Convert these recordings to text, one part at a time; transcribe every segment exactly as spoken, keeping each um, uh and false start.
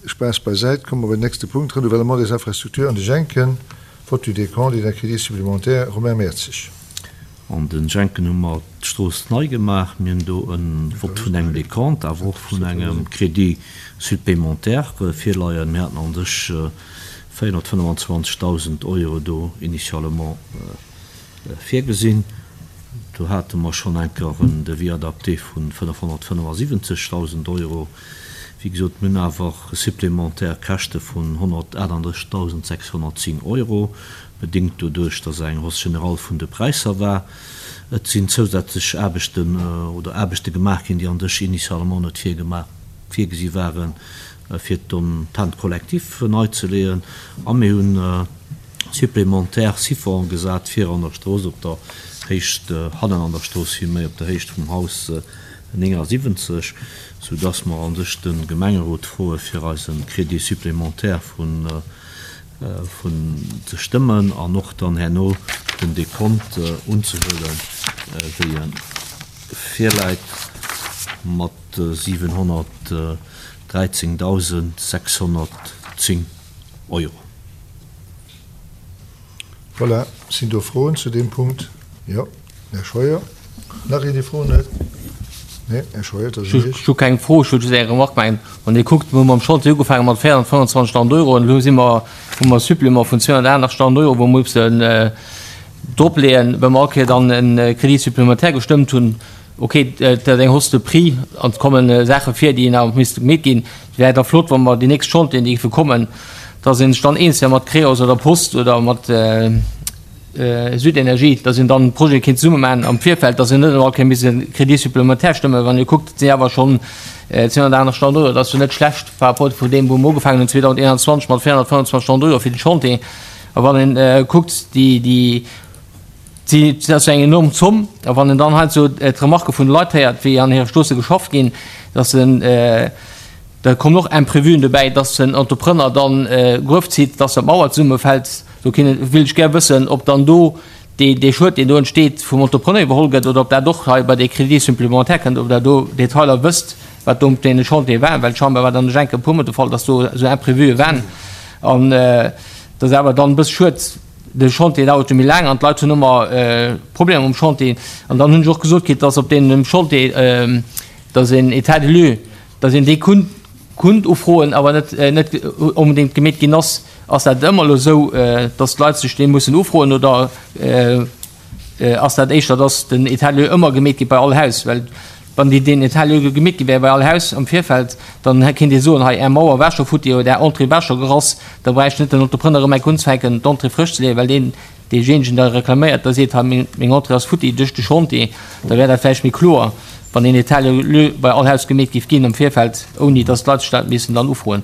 Spaass beisäit, komme mer bei den nächste Punkt, Renouvellement des infrastructures an de Jenken, Vote du décompte et d'un crédit supplémentaire, Romain Mertzig. An den Jenken hu mer d'Strooss nei gemaach. Mir hunn do e Vott vun engem Décompte, awer och vun engem Crédit supplémentaire virleien. Mir haten an sech véierhonnertfënnefenzwanzegdausend Euro do initialement virgesinn. Do hate mer schonn eng Kéier en Devis adapté vu fënnefhonnertfënnefasiwwenzegdausend Euro. Wéi gesot, mir hunn awer supplémentaire Käschte vun honnertaachtanddrëssigdausendsechshonnertzéng Euro, bedéngt doduerch, dass eng Hausse générale vun de Präisser war. Et sinn zousätzlech Aarbechten oder Aarbechte gemaach ginn, déi an sech initialement net virgemaach, virgesi waren, fir den Tent collectif nei ze leeën. A mir hunn supplémentaire Siphon gesat fir an der Strooss op der Héicht, hannen an der Strooss vill méi op der Héicht vum Haus néngasiwwenzeg, soudass mer an sech de Gemengerot froe fir eise Crédit supplémentaire vun vun ze stëmmen an och dann herno den Décompte unzehuelen, wéi e virläit mat siwenhonnertdräizéngdausendsechshonnertzéng Euro. Voilà, sinn do Froen zu deem Punkt? Jo, Här Scheuer. Nach een, dee Froen huet? Nee, Här Scheuer, dat ass un Iech. Ech hu keng Fro, ech wëll just eng Remarque maachen. Wann Dir kuckt, mir hu mam Chantier ugefaange mat véierhonnertfënnefenzwanzegdausend Euro an elo si mer, hu mer e Supplément vun zweehonnertaachtenachtzegdausend Euro, wou mer mussen dropleeën, well mer all Kéier dann e Crédit supplémentaire gestëmmt hunn. Ok, et ass eng Hausse de prix an et komme Saache vir, déi nach misste gemeet ginn. Et wär da flott, wa mer déi nächst Chantieren, déi géife kommen, dass een sech dann eens wär mat Creos oder Post oder mat Südenergie, dass een dann Projete kéint zesumme maachen am Virfeld, dass een net all Kéier misst e Crédit supplémentaire stëmmen. Wann Dir kuckt, et sinn awer schonn zweehonnertaachtenachtzegdausend Euro, dat ass jo net schlecht par rapport vu deem, wou mer ugefaangen hunn zweedausendeenanzwanzeg mat véierhonnertfënnefenzwanzegdausend Euro fir de Chantier. A wann een kuckt, déi, déi, dat ass jo eng enorm Zomm. A wann een dann heiansdo d'Remarquë vun de Leit héiert, wéi an hire Stroosse geschafft ginn, dass en, da kommen och Imprévuen dobäi, dass den Entrepreneur dann Gruef zitt, dass d'Mauer zesummefält. Do wéilt ech gär wëssen, ob dann do dee Schued, deen do entsteet, vum Entrepreneur iwwerholl gëtt oder ob dat och hei bei dee Crédit supplémentaire kënnt, ob Der do Detailer wësst, wat do op deene Chantiere war, well scheinbar war dann ech enke e puermol de Fall, dass do esou Imprévue waren. An dat ass awer dann e bësse schued. De Chantier dauert jo méi laang an d'Leit hunn ëmmer Problemer um Chantier. An dann hunn ech och gesot kritt, dass op deem Chantier, dass een État des lieux, dass een dee kunnt, kunnt ufroen, awer net, net onbedéngt gemeet ginn ass. Ass dat ëmmer elo esou, dass d'Leit sech dee mussen ufroen oder ass dat éischter, dass den État des lieux ëmmer gemeet gétt bei all Haus? Well wann déi deen État des lieux gemeet gi wär bei all Haus am Virfeld, dann kéint ee soen, hei Är Mauer war scho futti oder Är Entrée war scho gerass, da bräicht net den Entrepreneur erëm eng unzefänken d'Entrée frësch ze leeën, well deen deejéinegen da reklaméiert, da seet, hei meng Entrée ass futti duerch de Chantier. Da wär dat vläicht méi kloer, wann een État des lieux bei all Haus gemeet géif ginn am Virfeld, ouni dass d'Leit sech dat missen dann ufroen.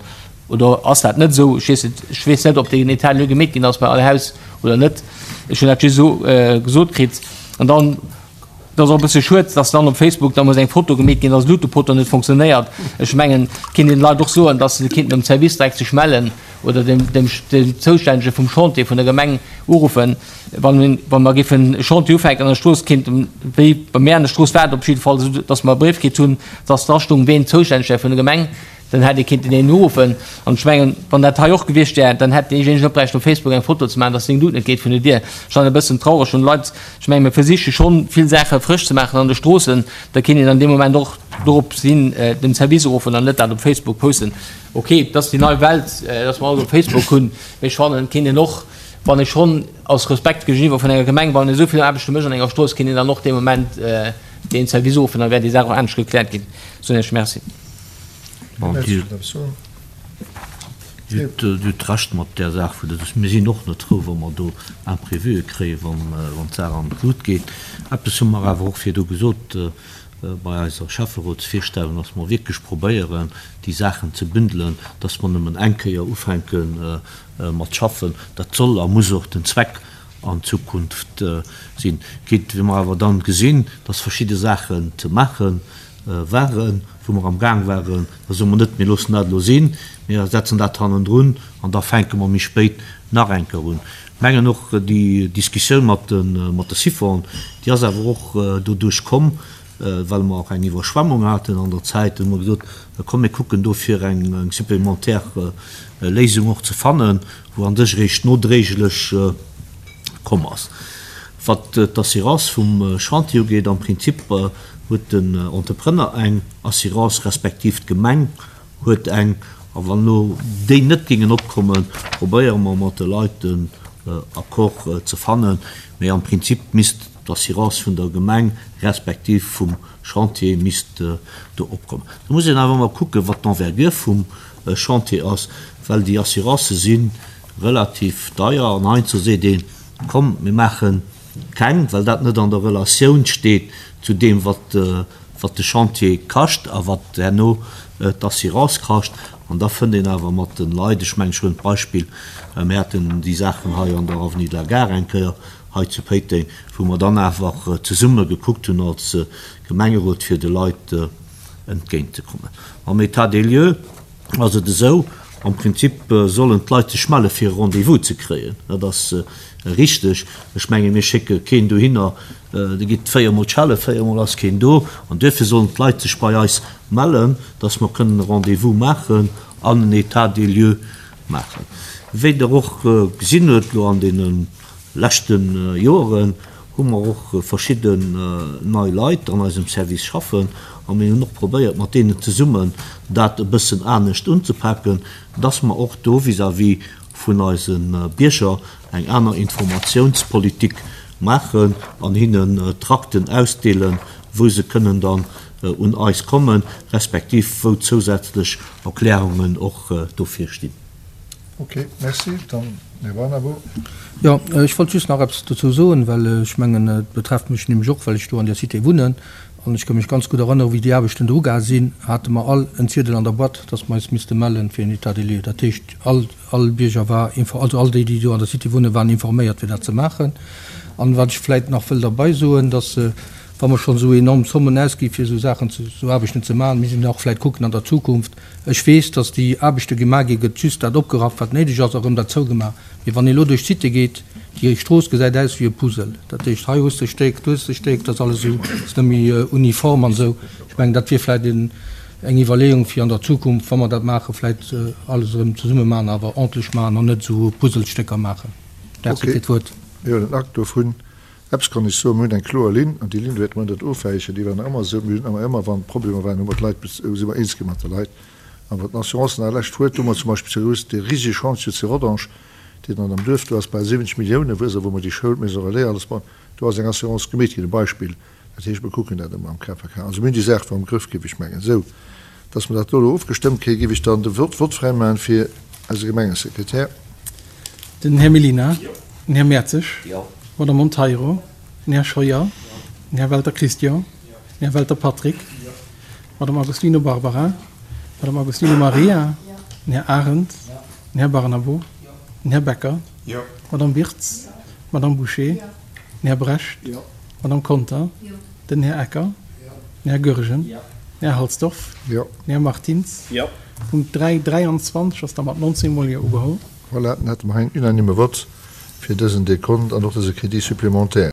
Oder ass dat net esou? Ech weess et, ech weess net, ob deen État des lieux gemeet ginn ass bei all Haus oder net. Ech hunn dat just esou gesot kritt. An dann, et ass och e bësse schued, dass dann op Facebook da muss eng Foto gemeet ginn, dass Luutepoto net funktionéiert. Ech mengen, et kéint een de Leit och soen, dass se kéinten um Service direkt sech mellen oder dem, dem, dem Zoustännege vum Chantier vun der Gemeng uruffen. Wann, wa mer géifen e Chantier ufänken an der Strooss, kéint, wéi bei mär an der Strooss war et op jidde Fall esou, dass mer e Bréif kritt hunn, dass dra stoung, ween zoustänneg wär vun der Gemeng. Dann hätt ee kinnten een uruffen. An ech mengen, wann dat hei och gewiescht wär, dann hätt deejéinegen och bräichten op Facebook eng Foto ze maachen, dass seng Lut net geet vun der Dier. Ech fannen e bëssen traureg, wann Leit, ech mengen, mir versiche schonn vill Saache frësch ze maachen an de Stroossen, da kéint een an deem Moment och dorop sinn, den Service uruffen an net dat op Facebook posten. Ok, et ass déi nei Welt, dass mer alles op Facebook hunn, mee ech fannen, et kéint een och, wann ee schonn aus Respekt géigeniwwer vun enger Gemeng, wann een esou vill Aarbechte mécht an enger Strooss, kéint een dann och dee Moment deen Service uruffen, da wär déi Saach och anescht gekläert ginn. Soen ech Merci. Dir hutt Recht mat där Saach, vu dass mir sinn och net frou, wa mer do Imprévuë kréien, wann d'Saach an d'Lut geet. Eppes hu mer awer och virdu gesot bei eiser Schäfferotsvirstellung, dass mer wierklech probéieren, déi Saachen ze bündelen, dass mer nëmmen eng Kéier ufänke mat schaffen. Dat soll a muss och den Zweck an Zukunft sinn. Quitte wéi mer awer dann gesinn, dass verschidde Saachen ze maache waren, wou mer am Gaang waren, da soe mer net, mir loossen dat elo sinn, mir setzen dat hannendrun an da fänke mer méi spéit nach eng Kéier un. Ech mengen och déi Diskussioun mat de, mat de Siphon, déi ass awer och doduerch komm, well mer och eng Iwwerschwemmung haten an der Zäit, hu mer gesot, komm mir kucken do fir eng supplémentaire Léisung och ze fannen, wou an sech eréischt nodréiglech komm ass. Wat d'Assurance vum Chantier ugeet, am Prinzip huet den Entrepreneur eng Assurance, respektiv d'Gemeng huet eng, a wann elo déi net géingen opkommen, probéiere mer mat de Leit en Accord ze fannen, mee am Prinzip misst d'Assurance vun der Gemeng respektiv vum Chantier misst do opkommen. Do muss een awer ëmmer kucken, wat d'Envergure vum Chantier ass, well déi Assurancë si relativ deier an heiansdo seet een, komm mir maache keng, well dat net an der Relatioun steet zu deem, wat wat de Chantier kascht a wat herno d'Assurance kascht. An da fënnt een awer mat de Leit, ech mengen, ech huelen d'Beispill, mir haten déi Saachen hei an der Avenue de la Gare eng Kéier hei zu Péiteng, wou mer dann awer zesumme gekuckt hunn als Gemengerot, fir de Leit entgéintzekommen. Am État des lieux ass et esou, am Prinzip sollen d'Leit sech melle fir e Rendez-vous ze kréien. Dat ass richteg. Ech menge mir schécke keen dohinner, Dir gitt véier Mol schelle, véier Mol ass keen do. An duerfir sollen d'Leit sech bei eis mellen, dass mer kënnen e Rendez-vous maachen an en État des lieux maachen. Wéi Der och gesinn hutt elo an deene leschte Joren, hu mer och verschidden nei Leit an eisem Service schaffen a mir hunn och probéiert, mat deenen zesummen dat e bëssen anescht unzepaken, dass mer och do vis-à-vis vun eise Bierger eng aner Informatiounspolitik maachen an hinnen Trakten ausdeelen, wou se kënnen dann un eis kommen, respektiv wou zousätzlech Erklärungen och dofir stinn. Ok, merci. Dann Här Barnabo. Jo, ech wollt just nach eppes dozou soen, well ech mengen, et betrefft mech nämlech och, well ech do an där Cité wunnen. An ech ka mech ganz gutt erënneren, wéi déi Aarbechten do ugaang sinn, hate mer all en Ziedel an der Boîte, dass mer eis misste mellen fir en État des lieux. Dat heescht, all, all Bierger war, also all déi, déi do an der Cité wunnen, waren informéiert, fir dat ze maachen. An wat ech vläicht nach wëll derbei soen, dass, wa mer schonn esou enorm Zommen ausgi fir esou Saachen ze, esou Aarbechten ze maachen, misst een och vläicht kucken an der Zukunft, ech weess, dass déi Aarbechte gemaach ginn, gëtt just dat opgerafft, wat néideg ass, a rëm dat zougemaach. Mee wann ee elo duerch d'Cité geet, déi Strooss gesäit aus wéi e Puzzle. Dat heescht, hei hues de e Stéck, do hues de e Stéck, dat ass alles esou, ass net méi uniform an esou. Ech mengen, dat wier vläicht en, eng Iwwerleeung, fir an der Zukunft, wa mer dat maachen, vläicht alles erëm zesumme maachen, awer ordentlech maachen an net esou Puzzlestécker maachen. Merci fir d'Wuert. Mir huelen Akt dovun. Eppes kann ech soen, Mir hunn eng kloer Linn, an déi Linn wäerte mer net ofwäichen. Déi war nach ëmmer esou. Mir hunn awer ëmmer, wann Problemer waren, hu mer d'Leit, si mer eens gi mat de Leit. An wat d'Assurance nach lescht huet, hu mer zum Beispill zu Rous dee risege Chantier zu Rodange, deen dann am Duerf do ass, bal siwwenzeg Milliounen, wou wou mer déi Schoul, d'Maison relais, alles bauen, do ass eng Assurance gemeet ginn, e Beispill. Dat heescht, mir kucken dat ëmmer am K P K. Also mir hunn déi Saach do am Grëff, géif ech mengen. Esou, dass mer dat do elo ofgestëmmt kréien, géif ech dann de Wort Wort fräimaachen fir eise Gemengesekretär. Den Här Mellina. Den Här Mertzig. D'Madame Monteiro. Den Här Scheuer. Den Här Welter Christian. Den Här Welter Patrick. D'Madame Agostino Barbara. D'Madame Agostino Maria. Den Här Arendt. Den Här Barnabo. Den Här Becker. D'Madame Wirtz. D'Madame Bouché. Den Här Brecht. D'Madame Conter. Den Här Ecker. Den Här Goergen. Den Här Halsdorf. Den Här Martins. Punkt dräi dräianzwanzeg ass da mat nonzéng Mol Jo ugeholl. Voilà, dann hätte mer hei en unanime Vott fir dësen Dekont an och dëse Crédit supplémentaire.